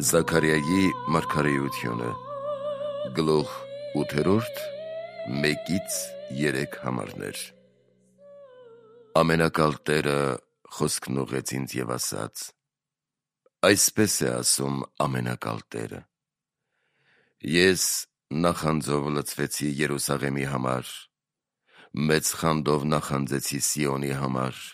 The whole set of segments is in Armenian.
Զաքարիայի մարգարեությունը գլուխ 8 1-3 համարներ։ Ամենակալ Տերը խոսքն ուղղեց ինձ և ասաց. այսպես է ասում ամենակալ Տերը. ես նախանձով լցվեցի Երուսաղեմի համար, մեծ խանդով նախանձեցի Սիոնի համար,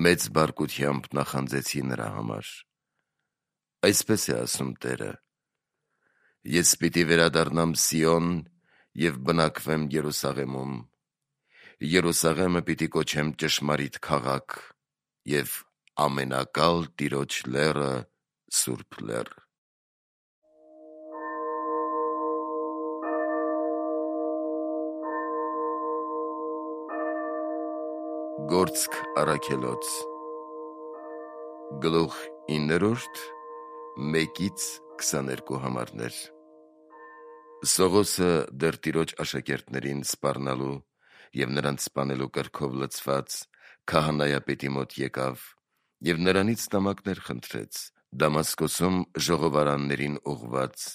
մեծ բարկությամբ նախանձեցի նրա համար։ Այսպես է ասում Տերը. ես պիտի վերադառնամ Սիոն և բնակվեմ Երուսաղեմում, Երուսաղեմը պիտի կոչեմ ճշմարիտ քաղաք և ամենակալ Տիրոջ լեռը սուրբ լեռ։ Գործք առաքելոց գլուխ 9 1-22 համարներ։ Սողոսը դեռ Տիրոջ աշակերտներին սպառնալու և նրանց սպանելու կրքով լցված քահանայապետի մոտ եկավ և նրանից նամակներ խնդրեց Դամասկոսում ժողովարաններին ուղղված,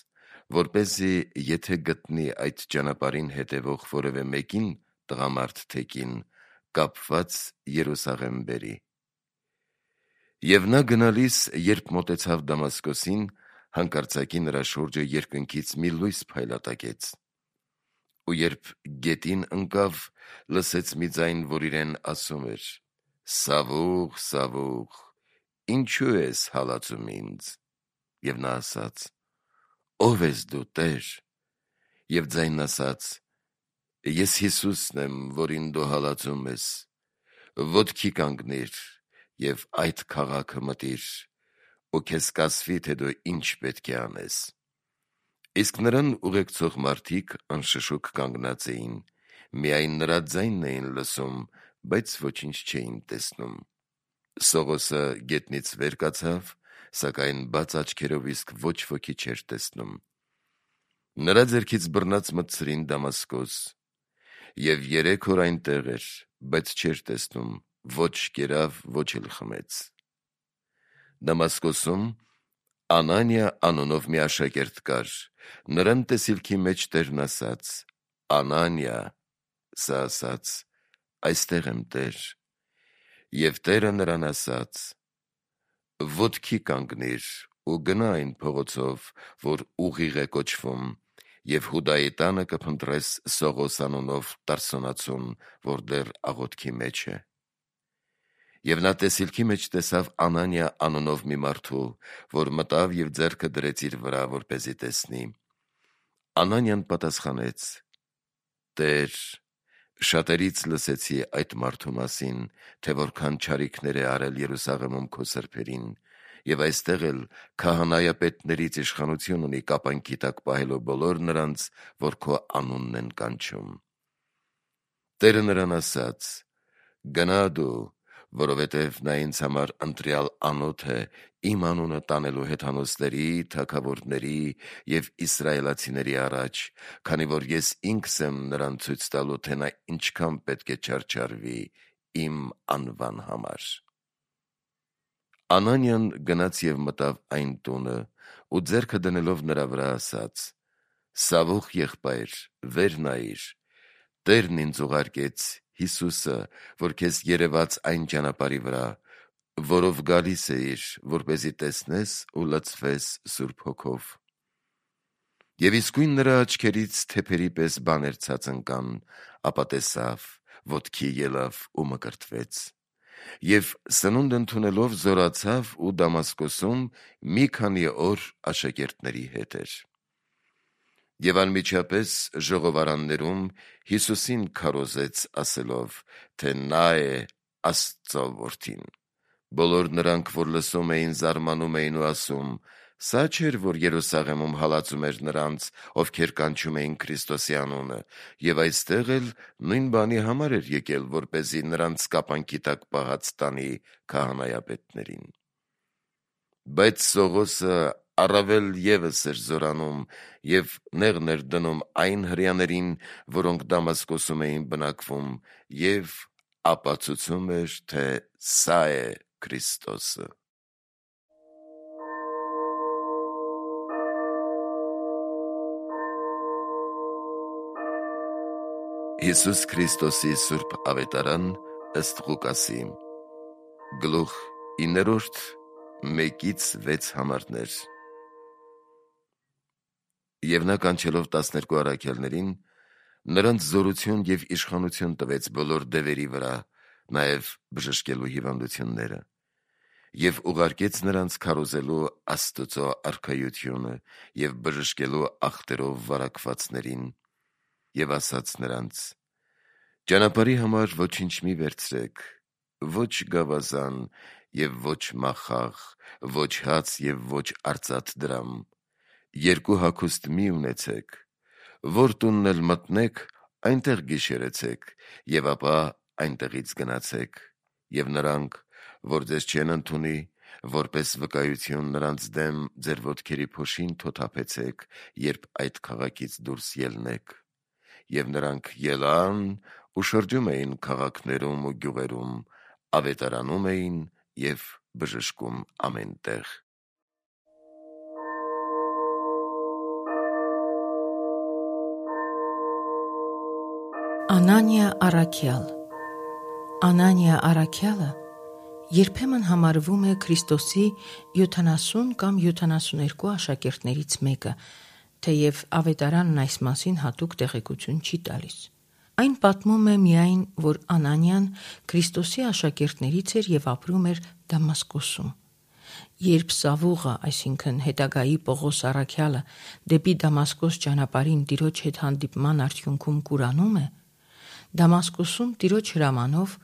որպեսզի եթե գտնի այդ ճանապարհին հետևող որևէ մեկին տղամարդ թե կին, կապված Երուսաղեմ բերի։ Եվ նա գնալիս, երբ մոտեցավ Դամասկոսին, հանկարծակի նրա շուրջը երկնքից մի լույս փայլատակեց, ու երբ գետին ընկավ, լսեց մի ձայն, որ իրեն ասում էր. «Սավուղ, Սավուղ, ինչու ես հալածում ինձ»։ Եվ նա ասաց. «Ո՞վ ես դու, Տեր»։ Եվ ձայնն ասաց. «Ես Հիսուսն եմ, որին դու հալածում ես. ոտքի կանգնիր և այդ քաղաքը մտիր, ու քեզ կասվի, թե դու ինչ պետք է անես»։ Իսկ նրան ուղեկցող մարդիկ անշշուկ կանգնած էին, միայն նրա ձայնն էին լսում, բայց ոչինչ չէին տեսնում։ Սողոսը գետնից վեր կացավ, սակայն բաց աչքերով իսկ ոչ ոքի չէր տեսնում։ Նրա ձեռքից բռնած մտցրին Դամասկոս, և 3 օր այնտեղ էր, բայց չէր տեսնում, ոչ կերավ, ոչ էլ խմեց։ Դամասկոսում Անանիա անունով մի աշակերտ կար, նրան տեսիլքի մեջ Տերն ասաց. «Անանիա»։ Սա ասաց. «Այստեղ եմ, Տեր»։ Եվ Տերը նրան ասաց. «Ոտքի կանգնիր ու գնա այն փողոցով, որ Ուղիղ է կոչվում, և Հուդայի տանը կփնտրես Սողոս անունով Տարսոնացուն, որ դեռ աղոթքի մեջ է»։ Եվ նա տեսիլքի մեջ տեսավ Անանիա անունով մի մարդու, որ մտավ և ձեռքը դրեց իր վրա, որպեսզի տեսնի։ Անանիան պատասխանեց. «Տեր, շատերից լսեցի այդ մարդու մասին, թե որքան չարիքներ է արել Երուսաղեմում քո սրբերին, և այստեղ էլ քահանայապետներից իշխանություն ունի կապանքի տակ պահելու բոլոր նրանց, որ քո անունն են կանչում»։ Տերը նրան ասաց. «Գնա դու, որովհետև նա ինձ համար ընտրյալ անոթ է իմ անունը տանելու հեթանոսների, թագավորների և իսրայելացիների առաջ, քանի որ ես ինքս եմ նրան ցույց տալու, թե նա ինչքան պետք է չարչարվի իմ անվան համար»։ Անանիան գնաց և մտավ այն տունը ու ձեռքը դնելով նրա վրա ասաց. «Սավուխ եղբայր, վեր նայիր, Տերն ինձ ուղարկեց, Հիսուսը, որ քեզ երևաց այն ճանապարհի վրա, որով գալիս էիր, որպեսզի տեսնես ու լցվես Սուրբ Հոգով»։ Եվ իսկույն նրա աչքերից թեփերի պես բաներ ցած ընկան, ապա տեսավ, ոտքի ելավ ու մկրտվեց։ Եվ սնունդ ընդունելով զորացավ ու Դամասկոսում մի քանի օր աշակերտների հետ էր։ Եվ անմիջապես ժողովարաններում Հիսուսին քարոզեց ասելով, թե նա է Աստծո Որդին։ Բոլոր նրանք, որ լսում էին, զարմանում էին ու ասում. «Սա չէր, որ Երուսաղեմում հալածում էր նրանց, ովքեր կանչում էին Քրիստոսի անունը, և այստեղ էլ նույն բանի համար էր եկել, որպեսզի նրանց կապանքի տակ պահած տանի քահանայապետներին»։ Բայց Սողոսը առավել ևս էր զորանում և նեղն էր դնում այն հրեաներին, որոնք Դամասկոսում էին բնակվում, և ապացուցում էր, թե սա է Քրիստոսը։ Հիսուս Քրիստոսի Սուրբ Ավետարան ըստ Ղուկասի Գլուխ 9 1-6 համարներ։ Եվ նա կանչելով 12 առաքյալներին, նրանց զորություն և իշխանություն տվեց բոլոր դևերի վրա, նաև բժշկելու հիվանդությունները, և ուղարկեց նրանց քարոզելու Աստծո արքայությունը և բժշկելու ախտերով վարակվածներին, և ասաց նրանց. «Ճանապարհի համար ոչինչ մի վերցրեք, ոչ գավազան և ոչ մախաղ, ոչ հաց և ոչ արծաթ դրամ, 2 հագուստ մի ունեցեք, որ տունն էլ մտնեք, այնտեղ գիշերեցեք, և ապա այնտեղից գնացեք, և նրանք, որ ձեզ չեն ընդունի, որպես վկայություն նրանց դեմ ձեր ոտքերի փոշին թոթափեցեք, երբ այդ քաղաքից դուրս ելնեք»։ Եվ նրանք ելան ու շրջում էին քաղաքներում ու գյուղերում, ավետարանում էին և բժշկում ամեն տեղ։ Անանիա առաքյալ Անանիա առաքյալը երբեմն համարվում է Քրիստոսի 70 կամ 72 աշակերտներից մեկը, թեև ավետարանն այս մասին հատուկ տեղեկություն չի տալիս։ Այն պատմում է միայն, որ Անանիան Քրիստոսի աշակերտներից էր և ապրում էր Դամասկոսում։ Երբ Սավուղը, այսինքն հետագայի Պողոս առաքյալը, դեպի Դամասկոս ճանապարհին Տիրոջ հետ հանդիպման արդյունքում կուրանում է, Դամասկոսում Տիրոջ հրամանով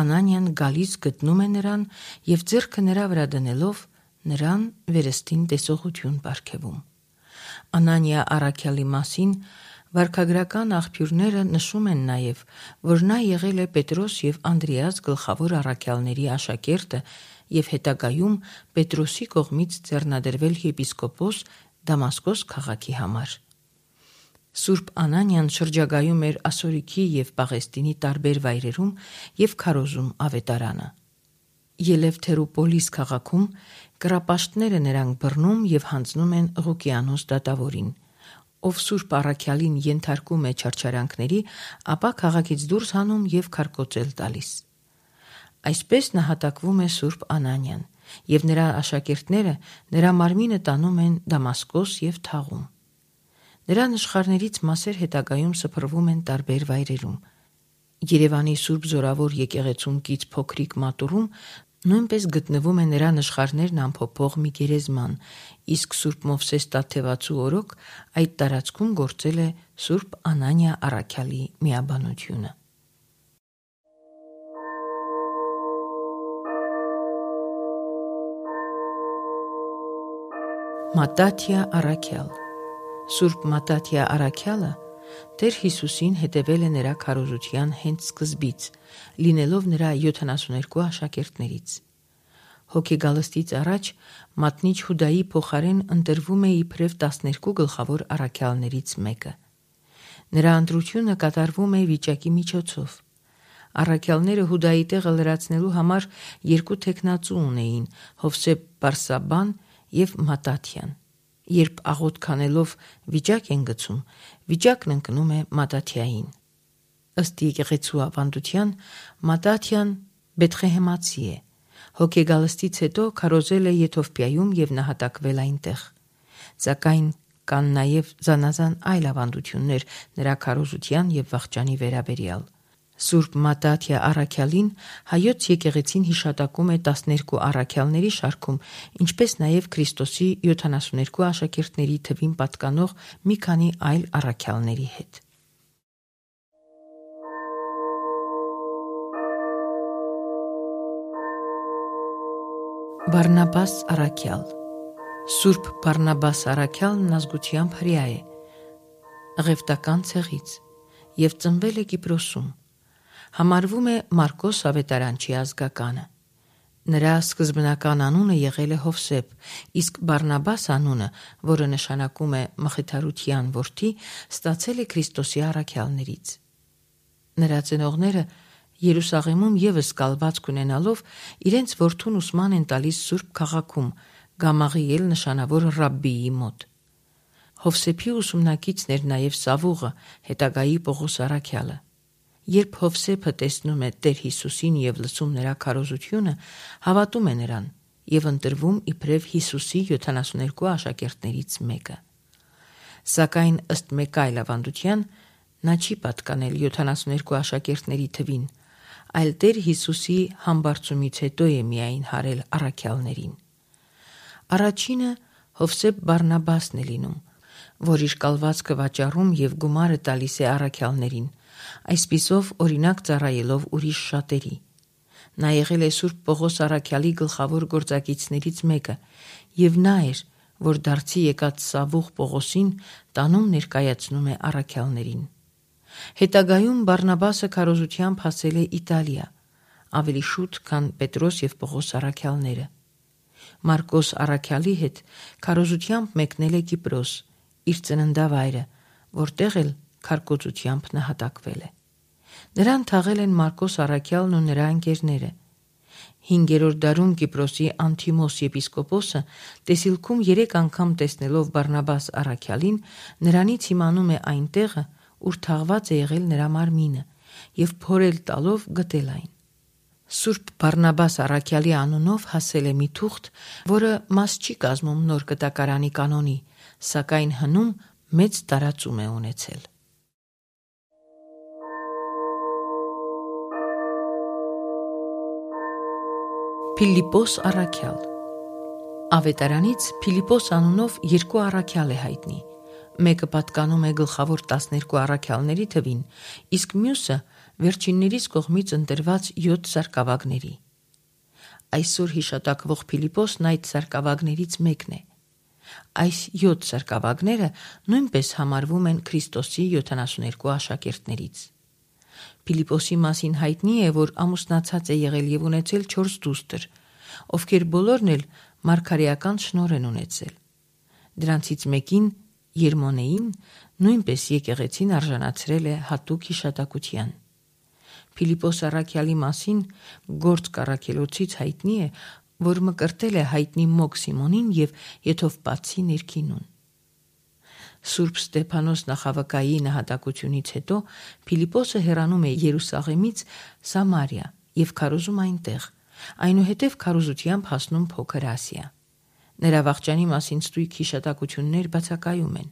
Անանիան գալիս գտնում է նրան և ձեռքը նրա վրա դնելով նրան վերստին տեսողություն պարգևում։ Անանիա առաքյալի մասին վարքագրական աղբյուրները նշում են նաև, որ նա եղել է Պետրոս և Անդրեաս գլխավոր առաքյալների աշակերտը և հետագայում Պետրոսի կողմից ձեռնադրվել եպիսկոպոս Դամասկոս քաղաքի համար։ Սուրբ Անանիան շրջագայում էր Ասորիքի և Պաղեստինի տարբեր վայրերում և քարոզում ավետարանը։ Ելևթերուպոլիս քաղաքում կռապաշտները նրան բռնում և հանձնում են Ղուկիանոս դատավորին, ով Սուրբ առաքյալին ենթարկում է չարչարանքների, ապա քաղաքից դուրս հանում և քարկոծել տալիս։ Այսպես նահատակվում է Սուրբ Անանիան, և նրա աշակերտները նրա մարմինը տանում են Դամասկոս և թաղում։ Նրա նշխարներից մասեր հետագայում սփռվում են տարբեր վայրերում։ Երևանի Սուրբ Զորավոր եկեղեցում կից փոքրիկ մատուռում նույնպես գտնվում է նրա նշխարներն ամփոփող մի գերեզման, իսկ Սուրբ Մովսես Տաթևացու օրոք այդ տարածքում գործել է Սուրբ Անանիա առաքյալի միաբանությունը։ Մատաթիա առաքյալ Սուրբ Մատաթիա առաքյալը Տեր Հիսուսին հետևել է նրա քարոզության հենց սկզբից, լինելով նրա 72 աշակերտներից։ Հոգեգալստից առաջ մատնիչ Հուդայի փոխարեն ընտրվում է իբրև 12 գլխավոր առաքյալներից մեկը։ Նրա ընտրությունը կատարվում է վիճակի միջոցով։ Առաքյալները Հուդայի տեղը լրացնելու համար 2 թեկնածու ունեին՝ Հովսեփ Բարսաբբան և Մատաթիան։ Երբ աղոթք անելով վիճակ են գցում, վիճակն ընկնում է Մատաթիային։ Ըստ եկեղեցու ավանդության, Մատաթիան Բեթղեհեմացի է։ Հոգեգալստից հետո քարոզել է Եթովպիայում և նահատակվել այնտեղ։ Սակայն կան նաև զանազան այլ ավանդություններ նրա քարոզության և վախճանի վերաբերյալ։ Սուրբ Մատաթիա առաքյալին հայոց եկեղեցին հիշատակում է 12 առաքյալների շարքում, ինչպես նաև Քրիստոսի 72 աշակերտների թվին պատկանող մի քանի այլ առաքյալների հետ։ Բարնաբաս առաքյալ Սուրբ Բարնաբաս առաքյալն ազգությամբ հրեա է, Ղևտական ցեղից, և ծնվել է Կիպրոսում։ Համարվում է Մարկոս ավետարանչի ազգականը։ Նրա սկզբնական անունը եղել է Հովսեփ, իսկ Բարնաբաս անունը, որը նշանակում է մխիթարության որդի, ստացել է Քրիստոսի առաքյալներից։ Նրա ծնողները Երուսաղեմում ևս կալվածք ունենալով իրենց որդուն ուսման են տալիս Սուրբ քաղաքում, Գամաղիել նշանավոր ռաբբիի մոտ։ Հովսեփի ուսումնակիցն էր նաև Սավուղը, հետագայի Պողոս առաքյալը։ Երբ Հովսեփը տեսնում է Տեր Հիսուսին եւ լսում նրա քարոզությունը, հավատում է նրան եւ ընտրվում իբրև Հիսուսի 72 աշակերտներից մեկը։ Սակայն ըստ մեկ այլ ավանդության, նա չի պատկանել 72 աշակերտների թվին, այլ Տեր Հիսուսի համբարձումից հետո է միայն հարել առաքյալներին։ Առաջինը Հովսեփ Բարնաբասն է լինում, որ իր կալվածքը վաճառում եւ գումարը տալիս է առաքյալներին, այսպիսով օրինակ ծառայելով ուրիշ շատերի։ Նա եղել է Սուրբ Պողոս առաքյալի գլխավոր գործակիցներից մեկը եւ նա էր, որ դարձի եկած Սավուղ Պողոսին տանում ներկայացնում է առաքյալներին։ Հետագայում Բարնաբասը քարոզությամբ հասել է Իտալիա, ավելի շուտ, քան Պետրոս եւ Պողոս առաքյալները։ Մարկոս առաքյալի հետ քարոզությամբ մեկնել է Կիպրոս, իր ծննդավայրը, որտեղ էլ քարկոծությամբ նահատակվել է։ Նրան թաղել են Մարկոս առաքյալն ու նրա ընկերները։ 5-րդ դարում Կիպրոսի Անթիմոս եպիսկոպոսը տեսիլքում 3 անգամ տեսնելով Բարնաբաս առաքյալին, նրանից իմանում է այն տեղը, ուր թաղված է եղել նրա մարմինը, եւ փորել տալով գտել այն։ Սուրբ Բարնաբաս առաքյալի անունով հասել է մի թուղթ, որը մաս չի կազմում նոր կտակարանի կանոնի, սակայն հնում մեծ տարածում է ունեցել։ Փիլիպոս առաքյալ։ Ավետարանից Փիլիպոս անունով 2 առաքյալ է հայտնի։ Մեկը պատկանում է գլխավոր 12 առաքյալների թվին, իսկ մյուսը վերջիններից կողմից ընտրված 7 սարկավագների։ Այսօր հիշատակվող Փիլիպոսն այդ սարկավագներից մեկն է։ Այս 7 սարկավագները նույնպես համարվում են Քրիստոսի 72 աշակերտներից։ Փիլիպոսի մասին հայտնի է, որ ամուսնացած է եղել եւ ունեցել 4 դուստր, ովքեր բոլորն էլ մարգարեական շնորհ են ունեցել։ Դրանցից մեկին, Երմոնեին, նույնպես եկեղեցին արժանացրել է հատուկ հիշատակության։ Փիլիպոս առաքյալի մասին Գործք առաքելոցից հայտնի է, որ մկրտել է հայտնի Մոկ Սիմոնին եւ Եթովպացի ներքինուն։ Սուրբ Ստեփանոս նախավկայի նահատակությունից հետո Փիլիպոսը հեռանում է Երուսաղեմից Սամարիա եւ քարոզում այնտեղ, այնուհետև քարոզությամբ հասնում Փոքր Ասիա։ Նրա վախճանի մասին ստույգ հիշատակություններ բացակայում են։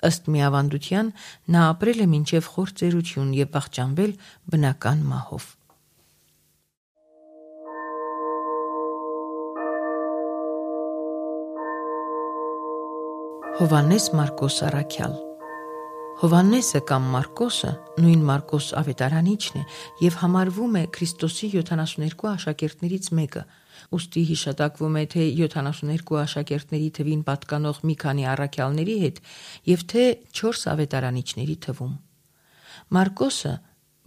Ըստ մի ավանդության նա ապրել է մինչև խոր ծերություն եւ վախճանվել բնական մահով։ Հովհաննես Մարկոս առաքյալ։ Հովհաննեսը կամ Մարկոսը նույն Մարկոս ավետարանիչն է եւ համարվում է Քրիստոսի 72 աշակերտներից մեկը, ուստի հիշատակվում է թե 72 աշակերտների թվին պատկանող մի քանի առաքյալների հետ եւ թե 4 ավետարանիչների թվում։ Մարկոսը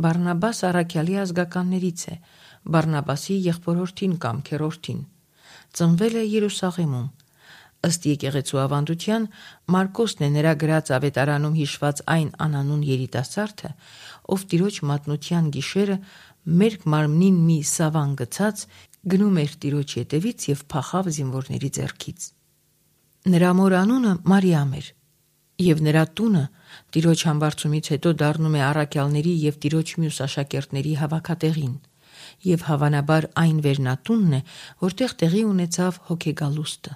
Բարնաբաս առաքյալի ազգականներից է, Բարնաբասի եղբորորդին կամ քերորդին։ Ծնվել է Երուսաղեմում։ Ըստ եկեղեցու ավանդության, Մարկոսն է նրա գրած ավետարանում հիշված այն անանուն երիտասարդը, ով Տիրոջ մատնության գիշերը մերկ մարմնին մի սավան գցած գնում էր Տիրոջ ետևից եւ փախավ զինվորների ձեռքից։ Նրա մոր անունը Մարիամ էր, եւ նրա տունը Տիրոջ համբարձումից հետո դառնում է առաքյալների եւ Տիրոջ մյուս աշակերտների հավաքատեղին, եւ հավանաբար այն վերնատունն է, որտեղ տեղի ունեցավ հոգեգալուստը։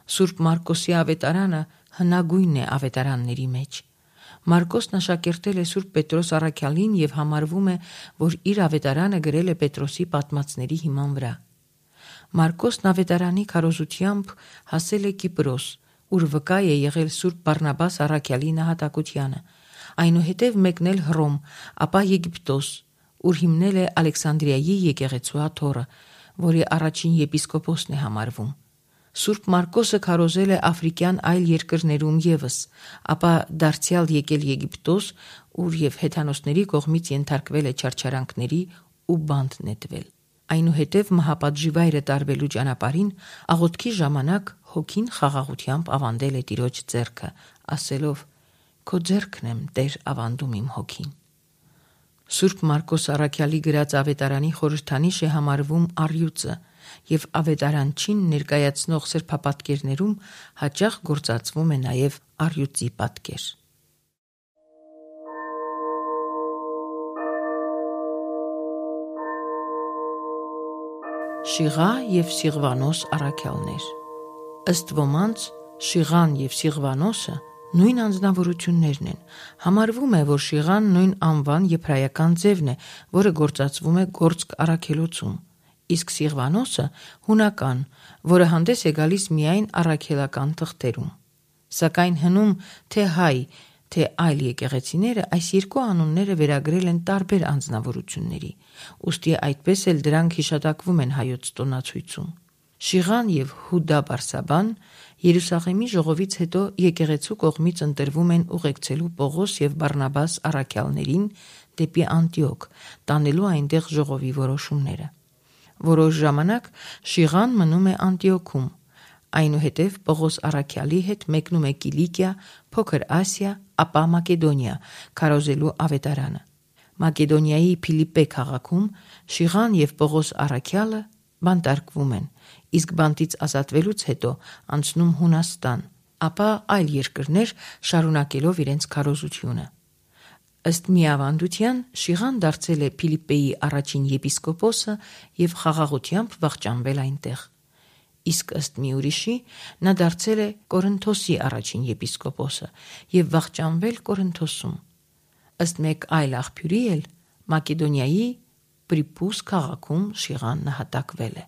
Սուրբ Մարկոսի ավետարանը հնագույնն է ավետարանների մեջ։ Մարկոսն աշակերտել է Սուրբ Պետրոս առաքյալին եւ համարվում է, որ իր ավետարանը գրել է Պետրոսի պատմածների հիման վրա։ Մարկոսն ավետարանի քարոզությամբ հասել է Կիպրոս, ուր վկա է եղել Սուրբ Բարնաբաս առաքյալի նահատակությանը, այնուհետև մեկնել Հռոմ, ապա Եգիպտոս, ուր հիմնել է Ալեքսանդրիայի եկեղեցու աթոռը, որի առաջին եպիսկոպոսն է համարվում։ Սուրբ Մարկոսը քարոզել է աֆրիկյան այլ երկրներում եւս, ապա դարձյալ եկել Եգիպտոս, ուր եւ հեթանոսների կողմից ենթարկվել է չարչարանքների ու բանտ նետվել։ Այնուհետև մահապատժի վայրը տարվելու ճանապարհին աղոթքի ժամանակ հոգին խաղաղությամբ ավանդել է Տիրոջ ձեռքը, ասելով. «Քո ձեռքն եմ, Տեր, ավանդում իմ հոգին»։ Սուրբ Մարկոս առաքյալի գրած ավետարանի խորհրդանիշ է համարվում առյուծը եւ ավետարանչին ներկայացնող սրբապատկերներում հաճախ գործածվում է նաեւ առյուծի պատկեր։ Շիղա և Սիղվանոս առաքյալներ։ Ըստ ոմանց Շիղան և Սիղվանոսը նույն անձնավորություններն են։ Համարվում է, որ Շիղան նույն անվան եբրայական ձևն է, որը գործածվում է գործք առաքելոցում, իսկ Սիղվանոսը հունական, որը հանդես է գալիս միայն առաքելական թղթերում։ Սակայն հնում թե հայ, թե այլ եկեղեցիները այս երկու անունները վերագրել են տարբեր անձնավորությունների, ուստի այդպես էլ դրանք հիշատակվում են հայոց տոնացույցում։ Շիղան և Հուդա Բարսաբան Երուսաղեմի ժողովից հետո եկեղեցու կողմից ընտրվում են ուղեկցելու Պողոս և Բարնաբաս առաքյալներին դեպի Անտիոք, տանելու այնտեղ ժողովի որոշումները։ Որոշ ժամանակ Շիղան մնում է Անտիոքում, այնուհետև Պողոս առաքյալի հետ մեկնում է Կիլիկիա, Փոքր Ասիա, ապա Մակեդոնիա, քարոզելու ավետարանը։ Մակեդոնիայի Փիլիպպե քաղաքում Շիղան և Պողոս առաքյալը բանտարկվում են, իսկ բանտից ազատվելուց հետո անցնում Հունաստան, ապա այլ երկրներ, շարունակելով իրենց քարոզությունը։ Ըստ մի ավանդության Շիղան դարձել է Փիլիպպեի առաջին եպիսկոպոսը և խաղաղությամբ վախճանվել այնտեղ, իսկ ըստ մի ուրիշի նա դարձել է Կորինթոսի առաջին եպիսկոպոսը և վախճանվել Կորինթոսում։ Ըստ մեկ այլ աղբյուրի էլ Մակեդոնիայի Պրիպուս քաղաքում Շիղան նահատակվել է։